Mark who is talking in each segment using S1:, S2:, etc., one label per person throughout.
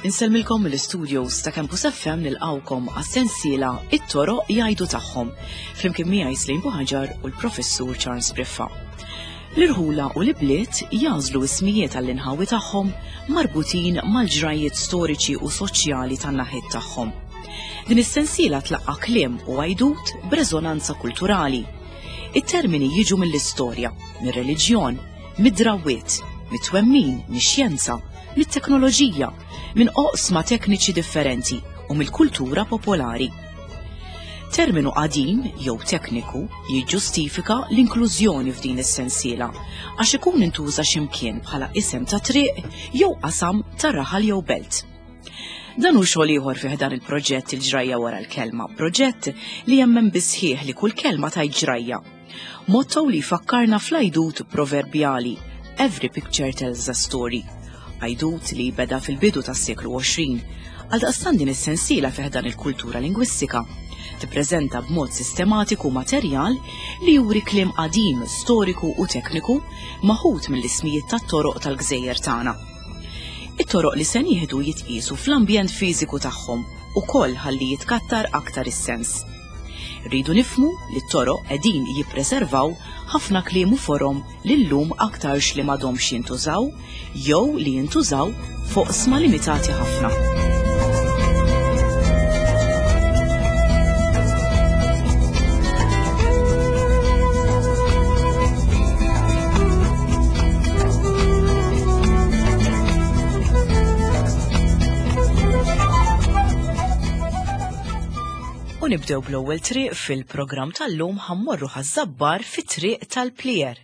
S1: Insellmilkom mill-istudios ta' Campus FM nilqawkom għas-sensiela It-toroq jgħidu tagħhom flimkien miegħi Slim Buħaġar u l-Professur Charles Briffa. L-irħula u l-ibliet jagħżlu ismijiet għall-inħawi tagħhom marbutin mal-ġrajjiet storiċi u soċjali tan-naħiet tagħhom. Din is-sensiela tlaqqa' kliem u għajdut b'reżonanza kulturali. It-termini jiġu mill-istorja, mir-reliġjon, mid-drawwiet, mit-twemmin, mix-xjenza, mit-teknoloġija, minn oqsma tekniċi differenti u mill-kultura popolari. Terminu qadim jew tekniku jiġġustifika l-inklużjoni f'din is-sensiela għax ikun intuża x'imkien bħala isem ta' triq jew qasam ta' raħal jew belt. Dan hu xogħol ieħor fih dan il-proġett il-ġrajja wara l-kelma, proġett li jemmen bisħieħ li kull kelma tajt ġrajja. Motto li jfakkarna fl-għajdut proverbjali Every picture tells a story. Għajdut li beda fil-bidu tas-seklu 20. Għaldaqstant din is-sensiela fih dan il-kultura lingwistika tippreżenta b'mod sistematiku materjal li juri kliem qadim, storiku u tekniku maħud mill-ismijiet tat-toroq tal-gżejjer tagħna. It-toroq li se nieħdu jitqiesu fl-ambjent fiżiku tagħhom ukoll ħalli jitkattar aktar is-sens. Rridu nifhmu li t-toroq qegħdin jippreservaw ħafna kliem u forom li llum aktarx li m'għadhomx jintużaw jew li jintużaw f'oqsma limitati ħafna. U nibdew bl-ewwel triq fil-programm tal-lum ħammorru ħaż-Żabbar fit-triq tal-Plier.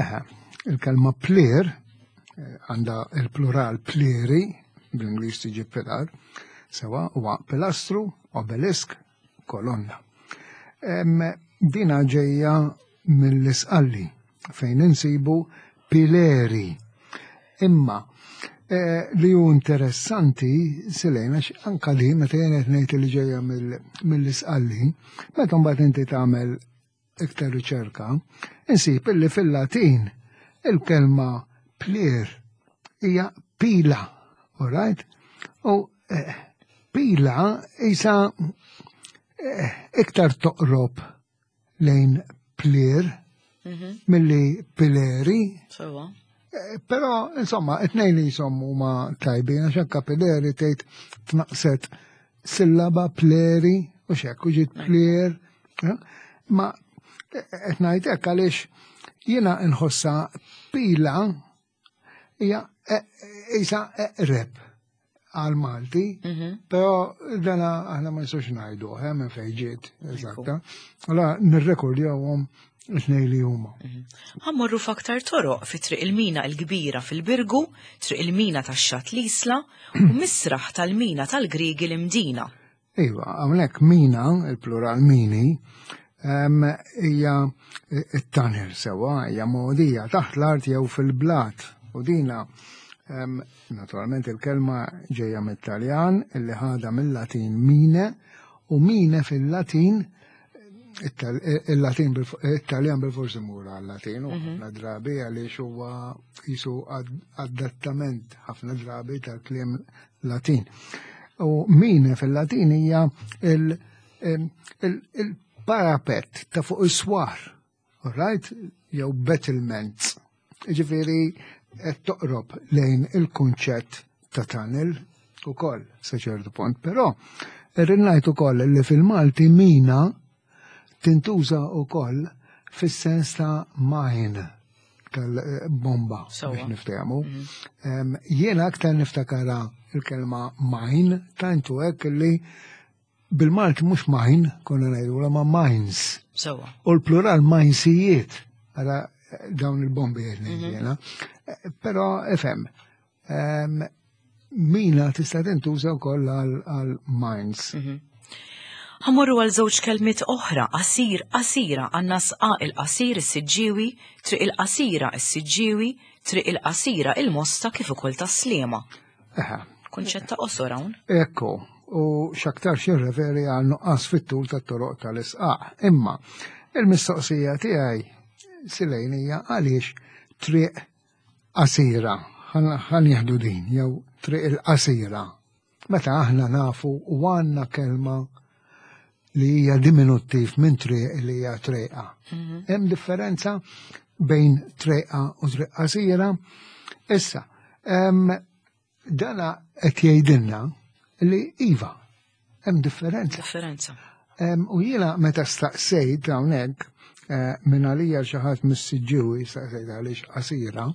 S2: Eħe, il-kelma plier eh, għandha il-plural plieri, bl-Ingliż tiġi pilar, sewa huwa pilastru, obelisk, kolonna. Dina ġejja mill-isqalli fejn insibu pileri. Imma eh, li hu interessanti silejna anka li meta jien qed ngħid li ġejja mill-isqalli, meta mbagħad inti tagħmel iktar riċerka, insib illi fil-Latin il-kelma plier hija pila, all right? U eh, pila isa eh, iktar toqrob lejn plier mhm. milli pileri.
S1: Sewa.
S2: Eh, però, insomma, it-tnejn li jisom huma tajbin, għax anka pileri tgħid tnaqset sillaba pleri u xekk u ġiet plier. Eh, ma eh, qed ngħid hekk għaliex jiena nħossa pila hija isa eqreb għal Malti, mhm. però dana aħna ma nistgħux ngħidu eh, minn fejn ġiet eżatta. Allora nirrekordjawhom it-tnejn li huma.
S1: Mhm. Ħammorru f'aktar toroq fi Triq il-Mina l-Kbira fil-Birgu, Triq il-Mina tax-Xatt l-Isla u Misraħ tal-Mina tal-Griegi l-Imdina.
S2: Iva, hawnhekk mina, il-plural mini, hija t-tunnel sewwa, hija mogħdija taħt l-art jew fil-blat. U dina, naturalment il-kelma ġejja mit-Taljan illi ħadha mill-Latin mine u mine fil-Latin il-Latin il-Taljan bil-fors imur għal-Latin u mhm. ħafna drabi għaliex huwa jisu adattament ħafna drabi tal-kliem Latin. U min fil-Latin hija il-parapet ta' fuq is-swar, right? Jew battlements. Ġifieri qed toqrob lejn il-kunċett ta' tunnel ukoll sa ċertu punt, però irrid ngħid ukoll li fil-Malti mina tintuża wkoll fis-sens ta' mine tal-bomba biex niftehmu. Mhm. Jiena aktar niftakara il-kelma mine tantu hekk li bil-Malti mhux mine konna ngħidu ma mines. U l-plural minesijiet għala dawn il-bombi qed ngħid mhm. jiena. Però ifhem, Mina tista' tintuża wkoll għal mines.
S1: Mhm. Ħammorru għal żewġ kelmiet oħra, qasir, qasira, għandna sqaq il-qasir is-Siġġiewi, triq il-qasira is-Siġġiewi, triq il-qasira il-Mosta kif ukoll tas-Sliema. Kunċett ta' qosor hawn.
S2: Ekku. u x'aktarx jirreferi għal nuqqas fit-tul tat-toroq tal-isqaq. Imma il-mistoqsija tiegħi Silejn hija għaliex triq qasira, ħa nieħdu din, jew triq il-qasira. Meta aħna nafu u għandna kelma li hija diminuttiv minn triq li hija trejqa. Hemm differenza bejn trejqa u triq qasira. Issa, dana qed jgħidilna li iva, hemm differenza.
S1: Differenza.
S2: U jiena meta staqsejt hawnhekk eh, minn għalija xi ħadd mis-Siġġiewi staqsejt għaliex qasira,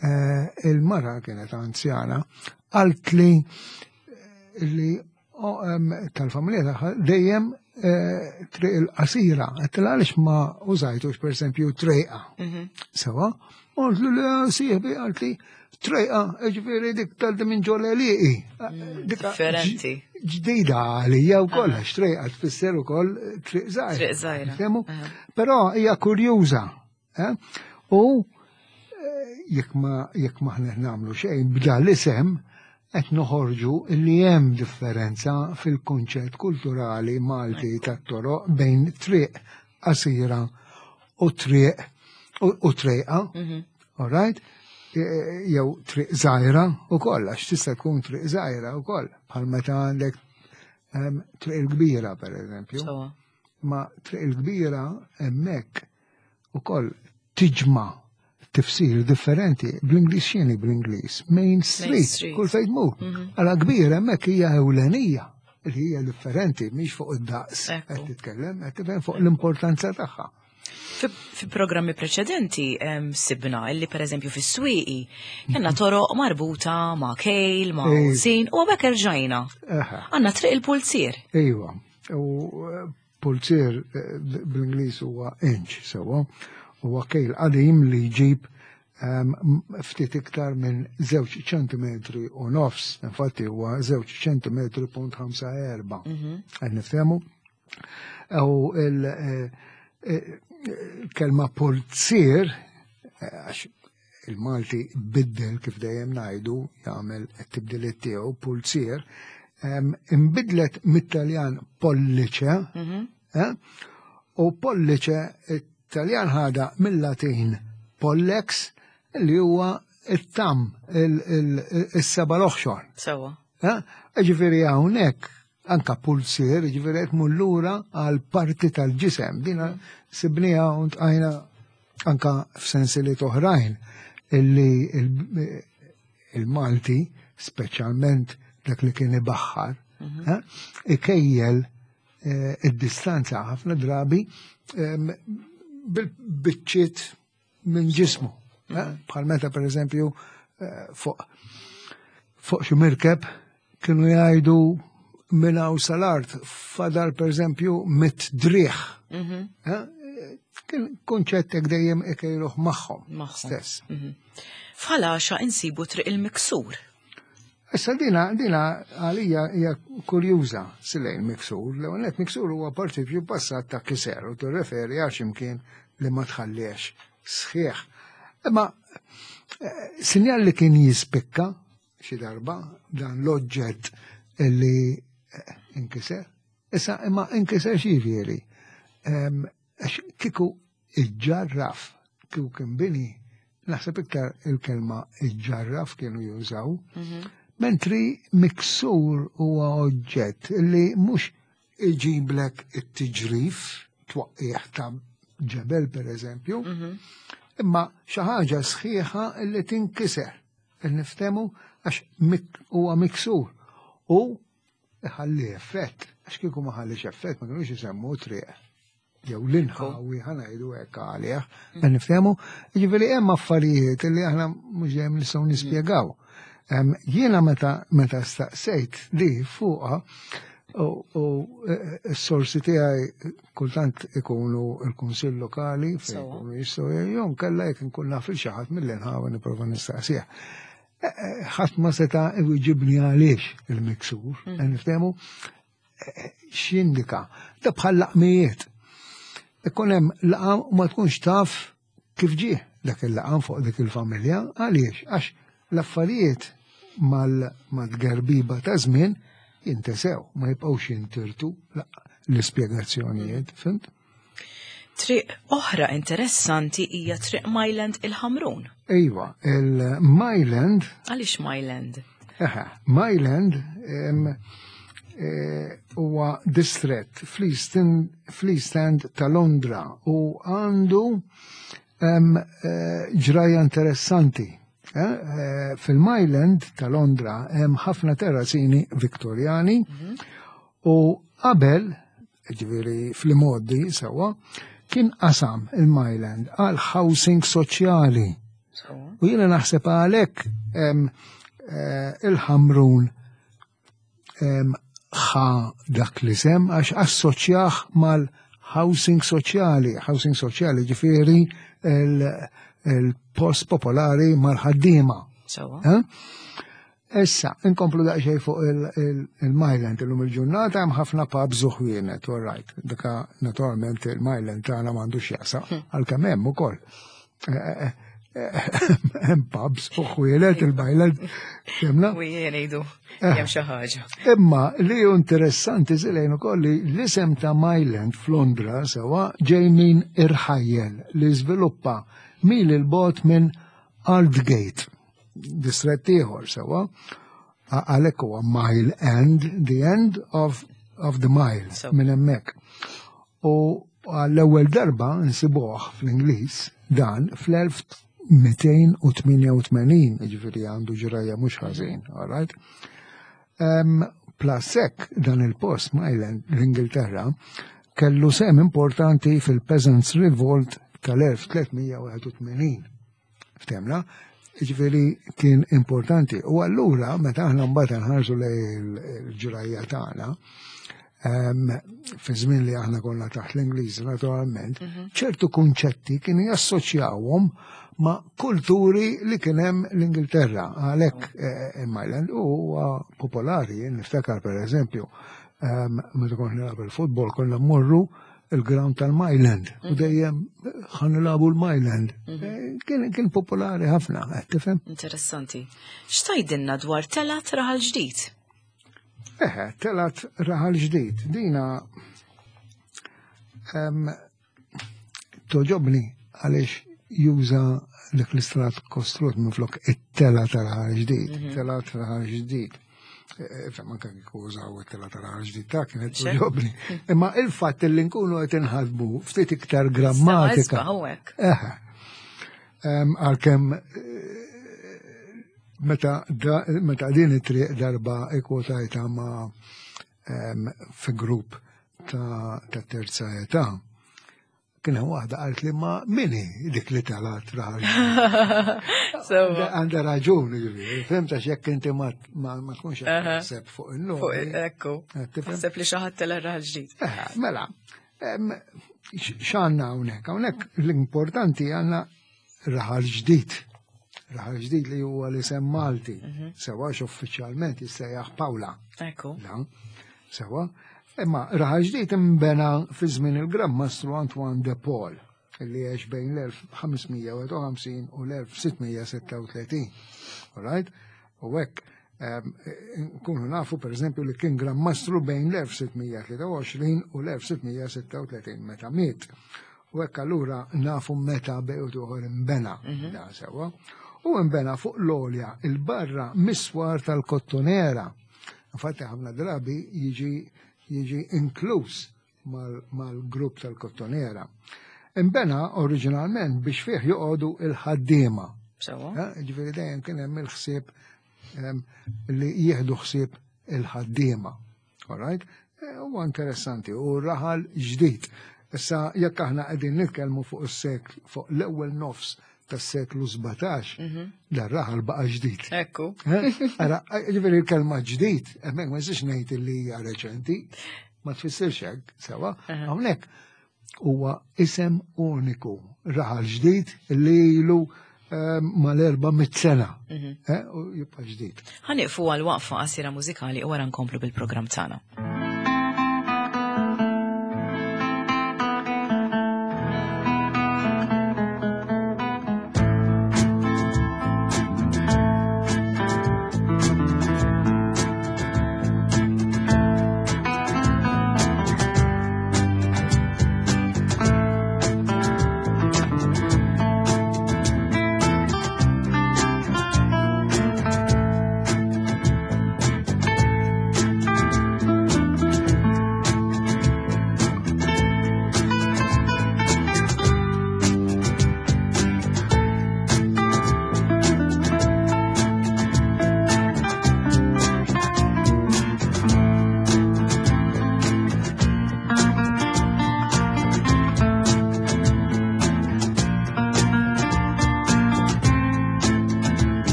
S2: eh, il-mara kienet anzjana, qalt li eh, li tal-familja tagħha dejjem triq il-qasira, għedtilha għaliex ma użajtux pereżempju trejqa. Sewa, għalt li sieħbi għalt li trejqa, ġifieri dik tal minn ġol għelieqi.
S1: Differenti.
S2: Ġdida għalija wkoll għax trejqa tfisser ukoll triq żgħira.
S1: Triq żgħira.
S2: Però hija kurjuża. Eh? U eh, jekk ma jekk maħna nagħmlu xejn b'da l-isem qed noħorġu li hemm differenza fil-kunċett kulturali Malti tat-toroq bejn triq qasira u triq u trejqa, mhm. all right? E, e, jew triq żgħira ukoll għax tista' tkun triq żgħira wkoll bħal meta għandek ehm, triq il-kbira pereżempju. Ma triq il-kbira hemmhekk ukoll tiġma' tifsir differenti bl-Ingliż x'inhi bl-Ingliż? Main Street, kull fejn tmur. Mhm. Għala kbira hemmhekk hija ewlenija li hija differenti mhix fuq id-daqs qed titkellem, qed tifhem fuq l-importanza tagħha.
S1: Fi programmi preċedenti sibna illi per eżempju fis-swieqi kellna toroq marbuta ma' kejl, ma' sin u għabek erġajna. Għandna triq il-pulzier.
S2: Iva, u eh, Pulzier eh, bl-Ingliż huwa inch sewwa, huwa kejl qadim li jġib ehm, ftit iktar minn żewġ ċentimetri u nofs, infatti huwa żewġ ċentimetri punt ħamsa erba. Mhm. Qed niftehmu? U il-kelma eh, eh, pulzier, għax il-Malti biddel kif dejjem ngħidu jagħmel it-tibdiliet tiegħu pulzier, imbidlet mit-Taljan pollice, mhm. eh, u pollice it-Taljan ħada mill-Latin pollex li huwa it-tam, il-seba l-oħxon.
S1: Sewa.
S2: Eh, ġifieri hawnhekk anka pulzier, ġifieri qed lura għal parti tal-ġisem. Dina sibniha u ntqajna anka f'sensiliet oħrajn illi il-Malti, speċjalment dak li kien ibaħħar, mhm. eh, ikejjel eh, id-distanza ħafna drabi ehm, bil-biċċiet minn ġismu. Eh, mhm. Bħal meta per eżempju fuq fuq xi mirkeb kienu jgħidu minn hawn sal-art fadal pereżempju mit driħ. Mhm. Eh, kien kunċett hekk dejjem ikejluh magħhom stess.
S1: Mhm. F'Ħal insibu triq il-miksur.
S2: Issa dina, dina għalija hija kurjuża silejn miksur. L-ewwel nett miksur huwa partipju passat ta' kiser u tirreferi għal x'imkien li ma tħalliex sħiħ. Imma eh, sinjal li kien jispikka xi darba dan l-oġġett li eh, inkiser. Issa imma inkiser x'jiġifieri? Ehm, għax kieku iġġarraf, kieku kien bini, naħseb iktar il-kelma iġġarraf kienu jużaw, mhm. mentri miksur huwa oġġett li mhux iġiblek it-tiġrif, twaqqieħ ta' ġebel per eżempju, mhm. imma xi ħaġa sħiħa li tinkiser. Niftemu għax huwa miksur u iħalli effett, għax kieku ma ħallix effett ma kienux isemmu triq jew l-inħawi ħanajdu hekk għalih, mm. niftehmu, jiġifieri hemm affarijiet li aħna mhux dejjem nistgħu nispjegaw. Jiena meta meta staqsejt li fuqha u e, e, s-sorsi tiegħi kultant ikunu l-Kunsill Lokali fejn ikunu jistgħu jew kellha jekk inkun naf il xi ħadd mill-inħawi nipprova nistaqsih. E, ħadd ma seta' iwiġibni għaliex il-miksur, mm. niftehmu x'jindika. Da bħal laqmijiet. Ikun hemm laqam u ma tkunx taf kif ġie dak il-laqam fuq dik il-familja, għaliex? Għax l-affarijiet mal-tgerbiba ta' żmien. jintesew, ma jibqgħux jintirtu l-ispjegazzjonijiet, fhimt?
S1: Triq oħra interessanti hija Triq Myland il-Ħamrun.
S2: Iva, il-Myland.
S1: Għaliex Myland?
S2: Eħe, Myland huwa distrett fl-East End ta' Londra u għandu ġrajja interessanti. Fil-Myland ta' Londra hemm ħafna terrazini Viktorjani u qabel, ġifieri fl-imgħoddi sewwa, kien qasam il-Myland għal housing soċjali. U jiena naħseb għalhekk il-Ħamrun ħa dak l-isem għax assoċjah mal-housing soċjali. Housing soċjali ġifieri il-post popolari mal-ħaddiema. Issa, inkomplu daqsxejn fuq il-Myland illum il-ġurnata hemm ħafna pubs u ħwienet, all right. Dika naturalment il-Myland tagħna m'għandux jaqsam, għalkemm hemm ukoll. Hemm pubs u ħwienet il-Myland. Fhimna?
S1: U jien ngħidu hemm xi ħaġa.
S2: Imma li hu interessanti żilejn ukoll li l-isem ta' Myland f'Londra sewwa ġej minn irħajjel li żviluppa mil il-bogħod minn Aldgate, distrett ieħor sewwa, għalhekk huwa Mile End, the end of the mile, minn hemmhekk. U għall-ewwel darba nsibuh fl-Ingliż dan fl-1288, ġifieri għandu ġrajja mhux ħażin, all right? Plus hekk dan il-post Myland l-Ingilterra kellu sem importanti fil-Peasants Revolt tal-1381. Ftemna? Ġifieri kien importanti. U allura meta aħna mbagħad nħarsu lejn il-ġrajja tagħna, fi żmien li aħna konna taħt l-Ingliż naturalment, ċertu kunċetti kienu jassoċjawhom ma' kulturi li kien hemm l-Ingilterra. Għalhekk il-Myland huwa popolari, niftakar per eżempju, meta kont nilgħab il-futbol konna mmorru il-ground tal-Myland u dejjem ħa nilagħbu l-Myland. Kien popolari ħafna, qed tifhem?
S1: Interessanti. X'tgħidilna dwar Telat Raħal Ġdid?
S2: Eħe, Telat Raħal Ġdid. Dina toġobni għaliex juża dik l-istrat kostrut minn flok it-tela tal-Raħal Ġdid, Telat Raħal Ġdid. Fem, anke kieku użaw it-tela tal-Raħal Ġdid ta' kienet toġobni. Imma il-fatt li nkunu qed inħadmu ftit iktar grammatika.
S1: Isma' hawnhekk.
S2: Eħe. Għalkemm meta din it-triq darba ikkwotajta ma' fi grupp ta' terza età, kien hemm waħda qalt li ma mini dik li talat raħal. Għandha raġun, ġifieri, fhimt, għax jekk inti ma tkunx qed taħseb fuq il-lum.
S1: Fuq, ekku.
S2: Qed tifhem?
S1: Taħseb li xi ħadd tela' raħal ġdid.
S2: Mela, x'għandna hawnhekk? Hawnhekk l-importanti għandna raħal ġdid. Raħal ġdid li huwa l-isem Malti. Sewa uffiċjalment jissejjaħ Pawla. La, sewa. Imma raħal ġdid imbena fi żmien il-Gran Mastru Antoine de Paul, li għex bejn l-1551 u l-1636. All right? U hekk nkunu nafu per eżempju li kien Gran Mastru bejn l-1623 u l-1636 meta miet. U hekk allura nafu meta bejn uħor imbena da sewa. U imbena fuq l-olja il-barra miswar tal-Kottonera. Infatti ħafna drabi jiġi inkluż mal-grupp tal-Kottonera. Imbena oriġinalment biex fih joqogħdu il-ħaddiema. Ġifieri dejjem kien hemm il-ħsieb li jieħdu ħsieb il-ħaddiema. All right? Huwa interessanti u raħal ġdid. Issa jekk aħna qegħdin nitkellmu fuq is-sekl, fuq l-ewwel nofs tas-seklu 17, dan raħal baqa' ġdid. Ara, ġifieri l-kelma ġdid, hemmhekk ma nistax ngħid li hija reċenti, ma tfissirx hekk, sewa. Hawnhekk huwa isem uniku, raħal ġdid li ilu mal-400 sena. U jibqa' ġdid.
S1: Ħa nieqfu għal waqfa qasira mużikali u wara nkomplu bil-programm tagħna.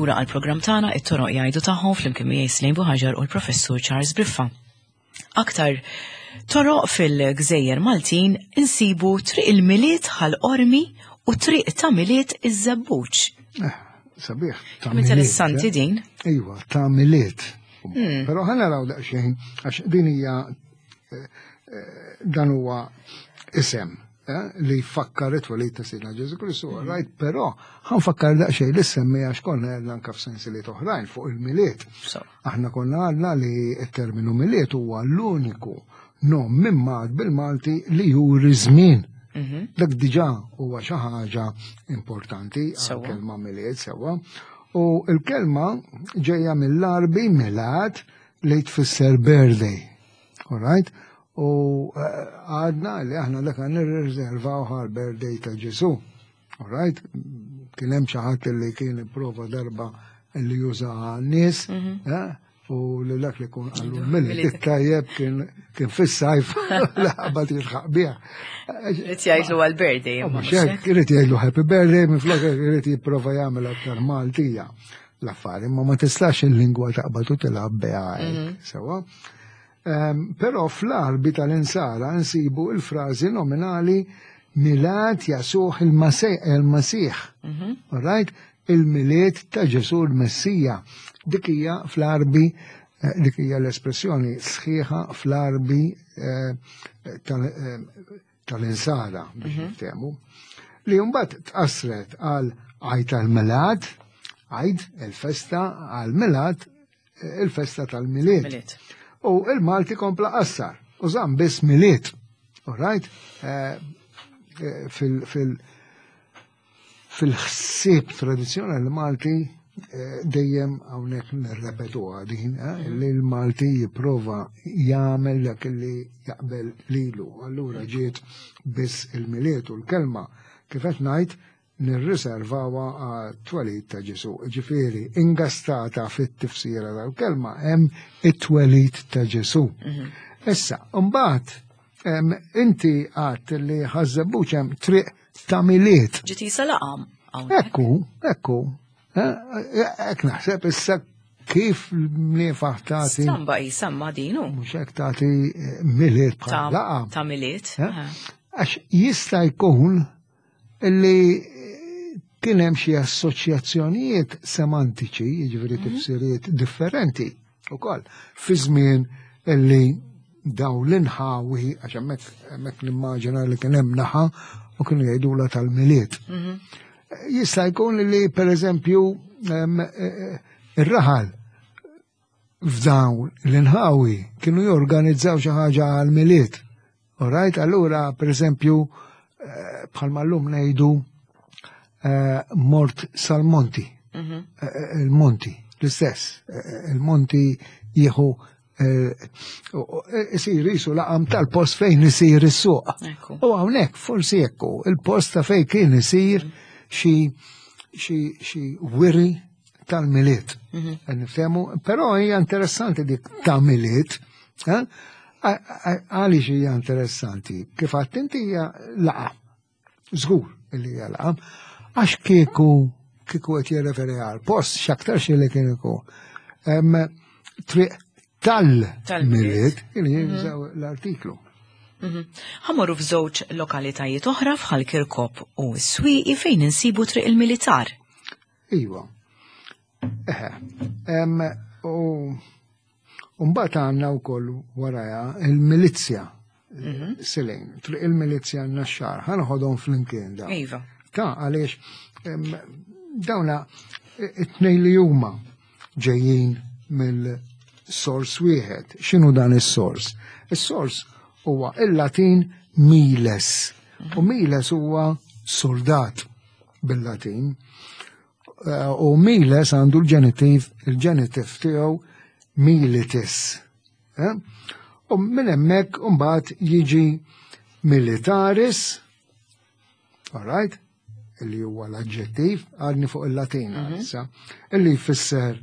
S1: lura għall-programm tagħna it-toroq jgħidu tagħhom flimkien miegħi Slejn Buħaġar u l-Professur Charles Briffa. Aktar toroq fil-Gżejjer Maltin insibu Triq il-Milied Ħal Qormi u Triq ta' Milied iż-Żebbuġ.
S2: Eh, sabiħ. Ta'
S1: Interessanti eh? din.
S2: Iva, ta' Milied. Hmm. Però ħa naraw daqsxejn għax din hija eh, dan huwa isem eh, li jfakkar it-twelid ta' Sidna Ġesu Kristu, mhm. right, però ħanfakkar daqsxejn li semmi għax konna għedna anka f'sensiliet oħrajn fuq il-milied. Aħna konna għadna li t-terminu milied huwa l-uniku nom minn bil-Malti li juri żmien. Mhm. Dak diġà huwa xi ħaġa importanti għal-kelma milied sewwa. U l-kelma ġejja mill-Arbi milad li tfisser birthday. All right? U eh, għadna li aħna dak nirriservaw għal birthday ta' Ġesu. All right? Kien hemm xi ħadd li kien ipprova darba li juża nies, mhm. eh, u li dak li kun għallu mill tajjeb kien fis-sajf laħbat jilħaq biha.
S1: Irid jgħidlu għal-birthday.
S2: Ma xek, irid jgħidlu happy birthday, minn flok irid jipprova jagħmel aktar Maltija l-affari, ma ma tistax il-lingwa taqbad u tilgħab biha mhm. sewa. Ehm, però fl-arbi tal-insara nsibu il-frażi nominali Milad Jasuh il-Masih. Mhm. All right? Il-milied ta' Ġesu l-Messija. Dik hija fl-arbi eh, dik hija l-espressjoni sħiħa fl-arbi eh, eh, tal-insara biex mhm. niftehmu, li mbagħad tqassret għal għajt tal-Milad, għajd il-festa għal Milad, il-festa tal-Milied. U il-Malti kompla qassar, u żamm biss Milied. All right? Eh, eh, fil, fil, Fil-ħsieb tradizzjonali Malti eh, dejjem hawnhekk nirrepetuha din, eh, li l-Malti jipprova jagħmel dak li jaqbel lilu. Allura ġiet biss il-Milied u l-kelma kif qed ngħid nirriservawha għat-twelid ta' Ġesu. Ġifieri, ingastata fit-tifsira tal-kelma hemm it-twelid ta' Ġesu. Mhm. Issa, mbagħad inti għadt li ħaż-Żebbuġ hemm triq ta' Milied.
S1: Ġiet isa laqam.
S2: Ekku, ekku. Ek naħseb issa kif mniefaħ tagħti.
S1: Stramba isa ma dinu.
S2: Mhux hekk tagħti eh, Milied bħal laqam.
S1: Ta' Milied.
S2: Eh? Għax jista' jkun li kien hemm xi assoċjazzjonijiet semantiċi, jiġifieri mhm. tifsiriet differenti ukoll fi żmien illi daw l-inħawi, għax hemmhekk hemmhekk nimmaġina li kien hemm naħa u kienu jgħidula tal-miliet. Mhm. Jista' jkun li pereżempju eh, eh, ir-raħal f'dawn l-inħawi kienu jorganizzaw xi ħaġa għal-miliet. Alright, allura per eżempju eh, bħalma llum ngħidu eh, mort sal-monti. Mhm. Eh, il-monti, l-istess. Il-monti jieħu isir jisu laqam tal-post fejn isir is-suq. U hawnhekk forsi ekku il-post ta' fejn kien isir xi xi wiri tal-miliet. Mhm. Niftehmu, però hija interessanti dik ta' miliet. Eh? Għaliex hija interessanti? Kif għadt inti hija laqa. Żgur li hija laqa. Għax kieku kieku qed jirreferi għal post x'aktar xi li kien ikun. Triq tal-miliet kien jinżaw mhm. l-artiklu.
S1: Mhm. Ħamorru f'żewġ lokalitajiet oħra f'Ħal Kirkop u s-Swieqi fejn insibu triq il-militar.
S2: Iva. Eħe. U mbagħad għandna wkoll waraja il-milizzja. Mhm. Silejn, triq il-milizzja naxxar, ħanħodhom flimkien da.
S1: Iva.
S2: Ta' għaliex dawna it-tnejn li huma ġejjin mill-sors wieħed. X'inhu dan is-sors? Is-sors huwa il-Latin miles. U miles huwa soldat bil-Latin. Eh, u miles għandu l-ġenitiv, il-ġenitiv tiegħu militis. Eh? U minn hemmhekk imbagħad jiġi militaris, all right, illi huwa l-aġġettiv, għadni fuq il-Latin mhm. issa, illi jfisser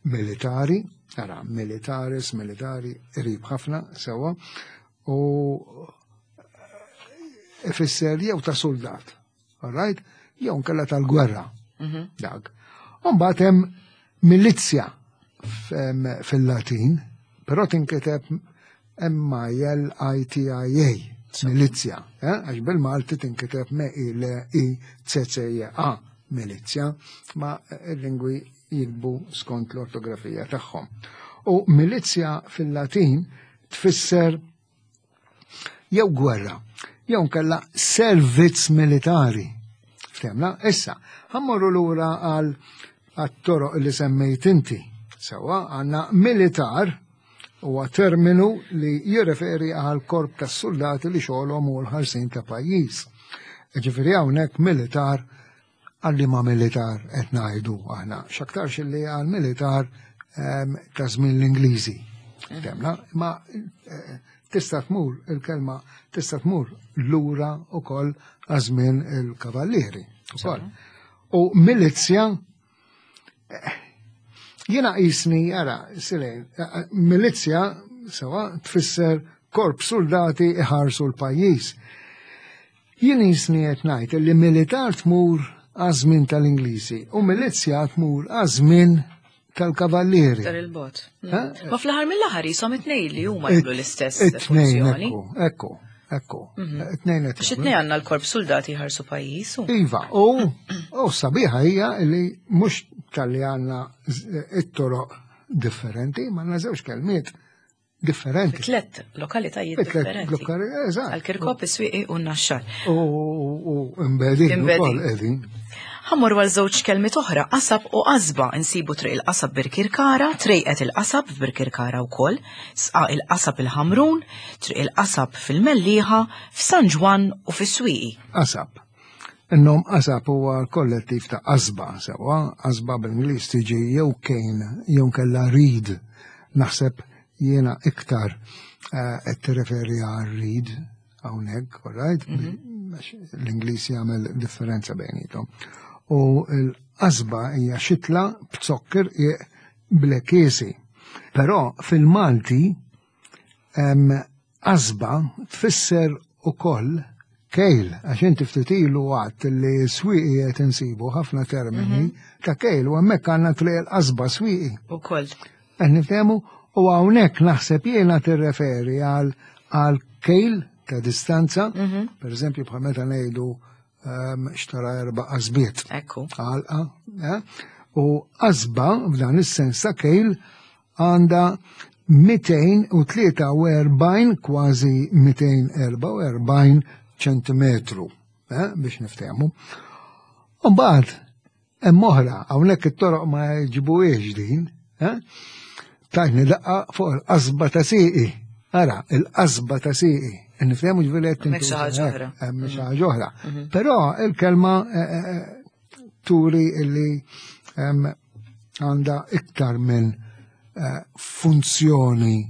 S2: militari, ara, militaris, militari, qrib ħafna, sewa, u ifisser jew ta' soldat, all right, jew nkella tal-gwerra. Mhm. Dak. U mbagħad hemm milizja fil-Latin, però tinkiteb M-I-L-I-T-I-A, milizja, eh? għax bil-Malti tinkiteb M-I-L-I-C-C-A, milizja, ma il-lingwi jikbu skont l-ortografija tagħhom. U milizja fil-Latin tfisser jew gwerra, jew nkella servizz militari. Ftemna? Issa, ħammorru lura għal għat-toroq li semmejt inti. Sewa, għanna militar huwa terminu li jirreferi għal korp ta' soldati li xogħolhom u l-ħarsin ta' pajjiż. Ġifieri hawnhekk militar Għal liema militar qed ngħidu aħna? X'aktarx li għal militar ehm, ta' żmien l-Ingliżi. Temna, ma eh, tista' tmur il-kelma tista' tmur lura ukoll għaż-żmien il-kavallieri ukoll. U milizja eh, jiena qisni ara silejn, eh, milizja sewa tfisser korp soldati iħarsu l-pajjiż. Jien qisni qed ngħid li militar tmur għaż-żmien tal-Ingliżi u milizzja tmur għaż-żmien tal-kavallieri.
S1: Tar il-bot. Ma fl-aħħar mill-aħħar jisom it-tnejn li huma jagħmlu l-istess funzjoni.
S2: Ekku, ekku. Mhm. It-tnejn
S1: qed. Għax it-tnejn għandna l-korp soldati jħarsu pajjiż.
S2: Iva, u u sabiħa hija li mhux tal-li għandna it-toroq differenti, ma għandna żewġ kelmiet differenti.
S1: Tlet lokalitajiet differenti.
S2: Eżatt.
S1: Għal-Kirkop, is-Swieqi u n-Naxxar.
S2: U imbedin ukoll qegħdin.
S1: Ħammur għal żewġ kelmiet oħra, qasab u qasba insibu triq il-qasab Birkirkara, trejqet il-qasab f'Birkirkara wkoll, sqa il-qasab il-Ħamrun, triq il-qasab fil-Mellieħa, f'San Ġwann u fis-Swieqi.
S2: Qasab. In-nom qasab huwa kollettiv ta' qasba, sewwa, qasba bl-Ingliż tiġi jew cane jew nkella reed. Naħseb jiena iktar eh, qed tirreferi għal reed hawnhekk, all right? Mhm. L-Ingliż jagħmel differenza bejnietom. U l-qasba hija xitla b'zokker blekiesi. Però fil-Malti Qasba tfisser ukoll kejl, għax inti ftit ilu għadt li swieqi qed insibu ħafna termini mhm. ta' kejl u hemmhekk għandna triq il-qasba swieqi.
S1: Ukoll.
S2: Qed niftehmu u hawnhekk naħseb jiena tirreferi għal għal kejl ta' distanza, mhm. per eżempju bħal meta ngħidu ehm, xtara erba' qasbiet.
S1: Ekku.
S2: Għalqa, eh? U qasba f'dan is-sens ta' kejl għandha 243 kważi 244 ċentimetru eh, biex niftehmu. Mbagħad hemm oħra hawnhekk it-toroq ma jġibuhiex din, eh? Tajni daqqa fuq il-qasba ta' sieqi. Ara, il-qasba ta' sieqi. Nifhemu ġifieri qed
S1: Hemm xi ħaġa oħra.
S2: Hemm xi ħaġa oħra. Mhm. Però il-kelma eh, turi illi għandha iktar minn eh, funzjoni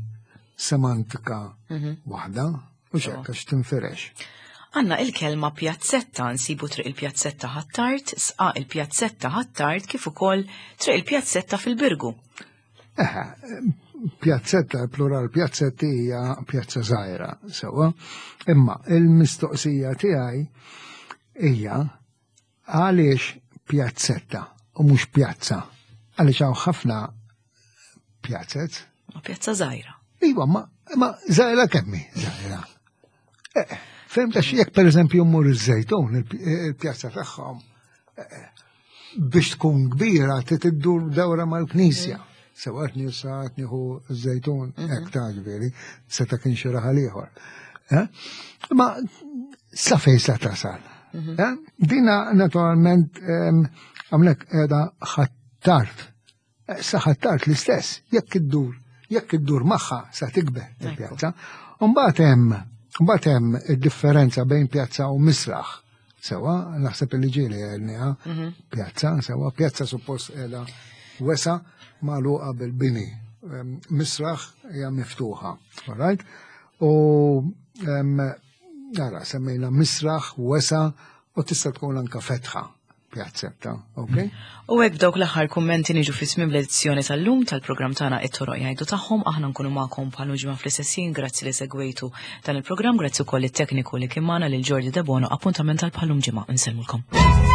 S2: semantika mhm. waħda u xekk għax tinfirex.
S1: Għanna il-kelma pjazzetta nsibu triq il-pjazzetta ħattart, sqa il-pjazzetta ħattart kif ukoll triq il-pjazzetta fil-Birgu.
S2: Eħe, pjazzetta, plural pjazzetti hija pjazza żgħira, sewwa. Imma il-mistoqsija tiegħi hija Għaliex pjazzetta u mhux pjazza? Għaliex hawn ħafna pjazzet.
S1: Ma pjazza żgħira.
S2: Iva, ma, ma żgħira kemmi żgħira. Eh, Fem ta' jekk pereżempju mmur iż-żejtun, il-pjazza tagħhom, eh, biex tkun kbira trid iddur dawra mal-knisja. Mm. Sewa qed nisa qed nieħu żejtun mhm. hekk ta' ġifieri, seta' kien xi raħal ieħor. Eh? Ma sa fejn sa tasal. Mhm. Eh? Dina naturalment għamlek qiegħda ħattart. Eh, sa ħattart l-istess, jekk iddur, jekk iddur magħha sa tikber il-pjazza. Mbagħad hemm mbagħad hemm id-differenza bejn pjazza u misraħ. Sewa, naħseb li ġieli għedniha, mhm. pjazza, sewa, pjazza suppost qiegħda wesa magħluqa bil-bini. Misraħ hija miftuħa, all right? U ara, semmejna misraħ, wesa, u tista' tkun anka fetħa pjazzetta, ok?
S1: U hekk dawk l-aħħar kummenti niġu fi tmiem l-edizzjoni tal-lum tal-programm tagħna it-toroq jgħidu tagħhom, aħna nkunu magħkom bħal ġimgħa fl-istess grazzi li segwejtu dan il-programm, grazzi wkoll it-tekniku li kien magħna lil Jordi Debono, appuntament tal bħalum ġimgħa, nsellmulkom.